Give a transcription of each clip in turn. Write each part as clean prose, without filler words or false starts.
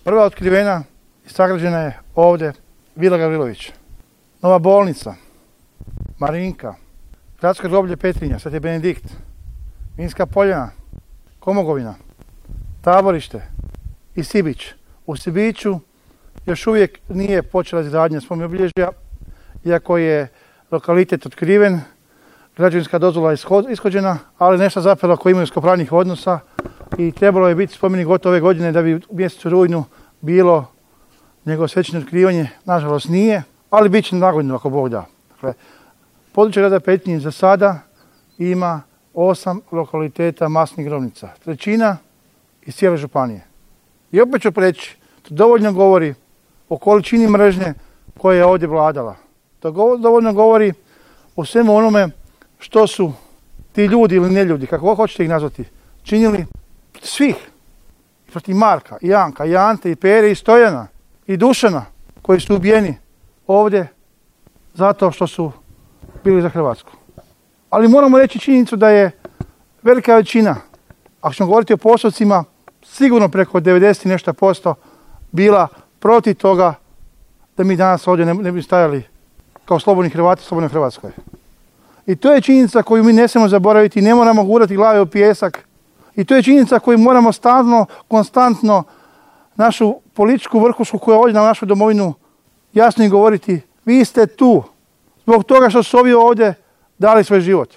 Prva otkrivena i sagrađena je ovdje Vila Gavrilović. Nova bolnica, Marinka, gradsko groblje Petrinja, Sveti Benedikt, Vinska Poljana, Komogovina, Taborište i Sibić. U Sibiću još uvijek nije počela izgradnja spomen obilježja, iako je lokalitet otkriven, građevinska dozvola je ishođena, ali nešto zapelo oko imovinsko-pravnih odnosa i trebalo je biti spomenik gotovo ove godine da bi u mjesecu rujnu bilo njegovo svečano otkrivanje. Nažalost nije, ali bit će nagodinu ako Bog da. Dakle, područje grada Petrinje za sada ima 8 lokaliteta masnih grobnica, trećina iz cijele županije. I opet ću reći, to dovoljno govori o količini mržnje koja je ovdje vladala. To dovoljno govori o svemu onome što su ti ljudi ili neljudi, kako hoćete ih nazvati, činili svih. Protiv Marka, i Janka, i Ante, i Pere, i Stojana, i Dušana, koji su ubijeni ovdje zato što su bili za Hrvatsku. Ali moramo reći činjenicu da je velika većina, ako ćemo govoriti o postocima, sigurno preko 90 i nešto posto bila protiv toga da mi danas ovdje ne bi stajali kao slobodni Hrvati u slobodnoj Hrvatskoj. I to je činjenica koju mi ne smijemo zaboraviti, ne moramo gurati glave u pijesak. I to je činjenica koju moramo stalno, konstantno našu političku vrhušku koja je ovdje na našu domovinu jasno im govoriti, vi ste tu zbog toga što su ovi ovdje dali svoj život.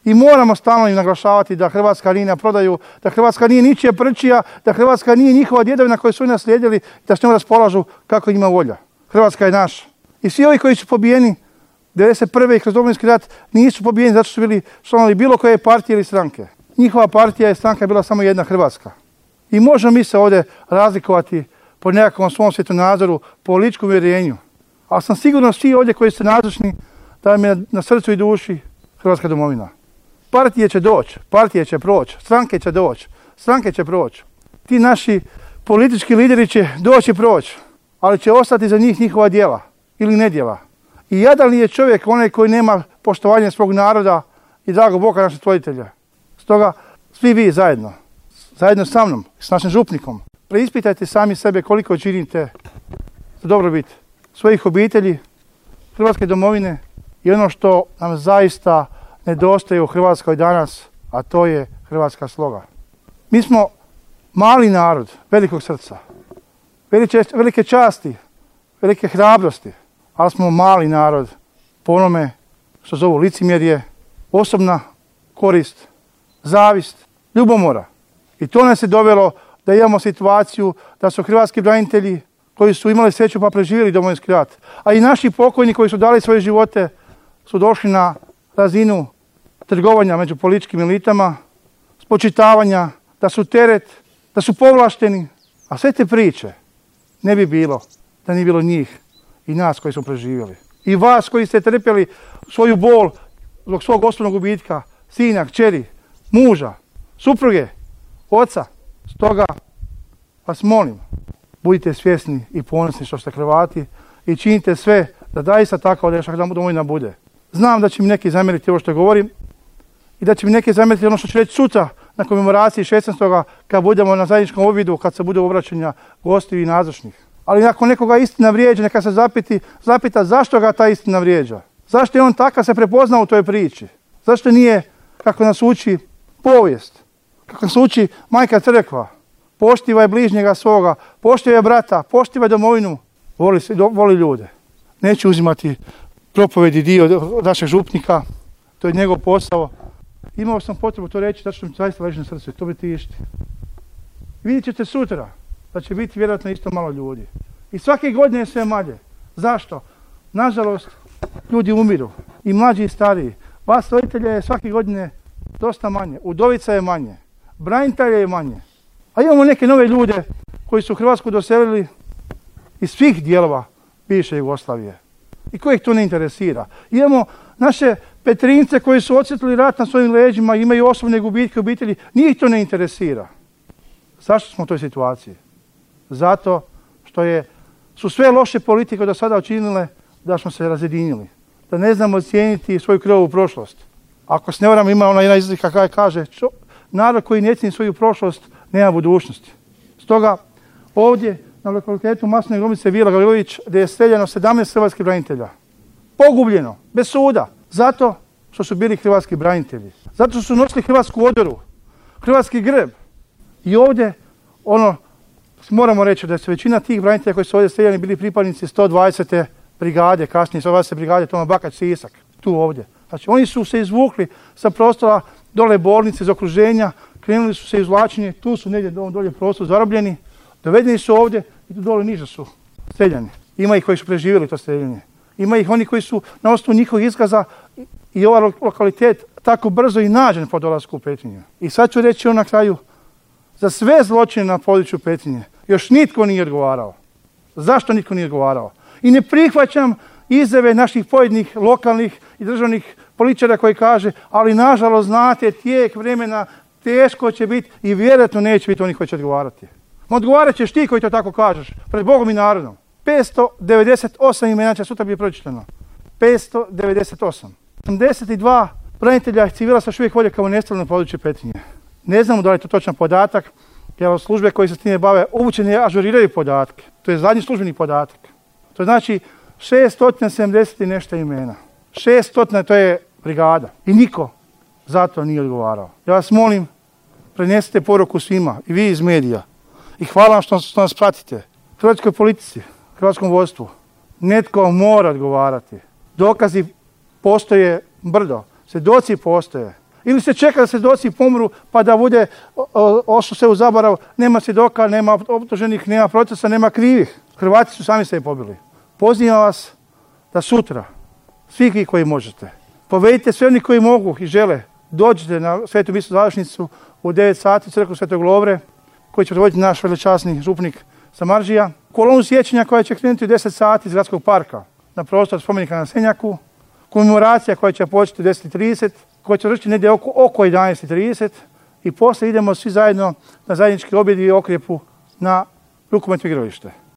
I moramo stalno im naglašavati da Hrvatska nije na prodaju, da Hrvatska nije ničija prčija, da Hrvatska nije njihova djedovina koju su naslijedili, da s njom raspolažu kako njima volja. Hrvatska je naša. I svi ovi koji su pobijeni 1991. i kroz Domovinski rat nisu pobijeni zato što su bili članovi bilo koje partije ili stranke. Njihova partija i stranka je bila samo jedna, Hrvatska. I možemo mi se ovdje razlikovati po nekakvom svom svjetonazoru, političkom uvjerenju. Ali sam sigurno svi ovdje koji ste nazočni da vam je na srcu i duši Hrvatska domovina. Partije će doći, partije će proći, stranke će doći, stranke će proći. Ti naši politički lideri će doći i proći, ali će ostati za njih njihova djela ili nedjela. I jadan je čovjek onaj koji nema poštovanja svog naroda i dragog Boga našeg stvoritelja. Stoga svi vi zajedno sa mnom, s našim župnikom, preispitajte sami sebe koliko činite za dobrobit svojih obitelji, Hrvatske domovine i ono što nam zaista nedostaje u Hrvatskoj danas, a to je hrvatska sloga. Mi smo mali narod, velikog srca, velike časti, velike hrabrosti, ali smo mali narod po onome što zovu licemjerje, osobna korist, zavist, ljubomora. I to nas je dovelo da imamo situaciju da su hrvatski branitelji koji su imali sreću pa preživjeli Domovinski rat, a i naši pokojni koji su dali svoje živote su došli na razinu trgovanja među političkim elitama, spočitavanja, da su teret, da su povlašteni. A sve te priče ne bi bilo da nije bilo njih i nas koji smo preživjeli. I vas koji ste trpjeli svoju bol zbog svog osobnog gubitka, sina, kćeri, muža, supruge, oca. Stoga vas molim, budite svjesni i ponosni što ste Hrvati i činite sve da zaista takva naša domovina bude. Znam da će mi neki zamjeriti ovo što govorim i da će mi neki zamjeriti ono što ću reći sutra na komemoraciji 16. kad budemo na zajedničkom objedu, kad se bude obraćanja gostiju i nazočnih. Ali ako nekoga istina vrijeđa, neka se zapita zašto ga ta istina vrijeđa. Zašto je on takav se prepoznao u toj priči? Zašto nije, kako nas uči povijest, kako nas uči Majka Crkva, poštivaj bližnjega svoga, poštivaj brata, poštivaj domovinu, voli ljude. Neću uzimati propovedi dio našeg župnika, to je njegov posao. Imao sam potrebu to reći zato što mi zaista leži na srcu i to bi tišti. Vidjet ćete sutra da će biti vjerojatno isto malo ljudi. I svake godine je sve manje. Zašto? Nažalost, ljudi umiru. I mlađi i stariji. Vas roditelja je svake godine dosta manje. Udovica je manje. Branitelja je manje. A imamo neke nove ljude koji su Hrvatsku doselili iz svih dijelova bivše Jugoslavije. I kojih to ne interesira. Imamo naše Petrinjce koji su osjetili rat na svojim leđima, imaju osobne gubitke obitelji. Njih to ne interesira. Zašto smo u toj situaciji? Zato što su sve loše politike do sada učinile da smo se razjedinili. Da ne znamo ocijeniti svoju krvavu prošlost. Ako se ne varam, ima ona jedna izreka koja kaže narod koji ne cijeni svoju prošlost nema budućnosti. Stoga ovdje na lokalitetu masne grobnice Vila Gavrilović gdje je streljano 17 hrvatskih branitelja. Pogubljeno, bez suda, zato što su bili hrvatski branitelji. Zato što su nosili hrvatsku odoru, hrvatski grb. I ovdje, moramo reći da su većina tih branitelja koji su ovdje streljani bili pripadnici 120. brigade, kasnije 120. brigade Toma Bakać Sisak, tu ovdje. Znači oni su se izvukli sa prostora dole bolnice iz okruženja, krenuli su se izvlačenje, tu su negdje dolje prostor zarobljeni, dovedeni su ovdje i tu dole niže su streljani. Ima ih koji su preživjeli to streljanje. Ima ih oni koji su na osnovu njihovih iskaza i ovaj lokalitet tako brzo i nađen po dolasku u Petrinju. I sad ću reći na kraju, za sve zločine na području Petrinje još nitko nije odgovarao. Zašto nitko nije odgovarao? I ne prihvaćam izjave naših pojedinih lokalnih i državnih političara koji kaže, ali nažalost znate, tijek vremena teško će biti i vjerojatno neće biti oni koji će odgovarati. Odgovarat ćeš ti koji to tako kažeš, pred Bogom i narodom. 598 imena će sutra biti pročitano. 598. 82 branitelja i civila se još uvijek vode kao nestali na području Petrinje. Ne znamo da li je to točan podatak, jer službe koje se s time bave uvučene ažuriraju podatke. To je zadnji službeni podatak. To znači 670 i nešto imena. 600 to je brigada. I niko za to nije odgovarao. Ja vas molim, prenesite poruku svima, i vi iz medija. I hvala vam što nas pratite. Hrvatskoj politici, hrvatskom vodstvu. Netko mora odgovarati. Dokazi postoje brdo. Svjedoci postoje. Ili se čeka da svjedoci pomru pa da bude ošlo sve u zaborav, nema svjedoka, nema optuženih, nema procesa, nema krivih. Hrvati su sami sebi pobili. Pozivam vas da sutra, svi vi koji možete, povedite sve oni koji mogu i žele, dođite na Svetu misu završnicu u 9 sati u crkvu Svetog Lovre, koji će predvoditi naš veličasni župnik Samardžija. Kolonu sjećanja koja će krenuti u 10 sati iz gradskog parka na prostor spomenika na Senjaku. Komemoracija koja će početi u 10:30, koja će završiti negdje oko 11:30 i poslije idemo svi zajedno na zajednički objed i okrjepu na rukometno igralište.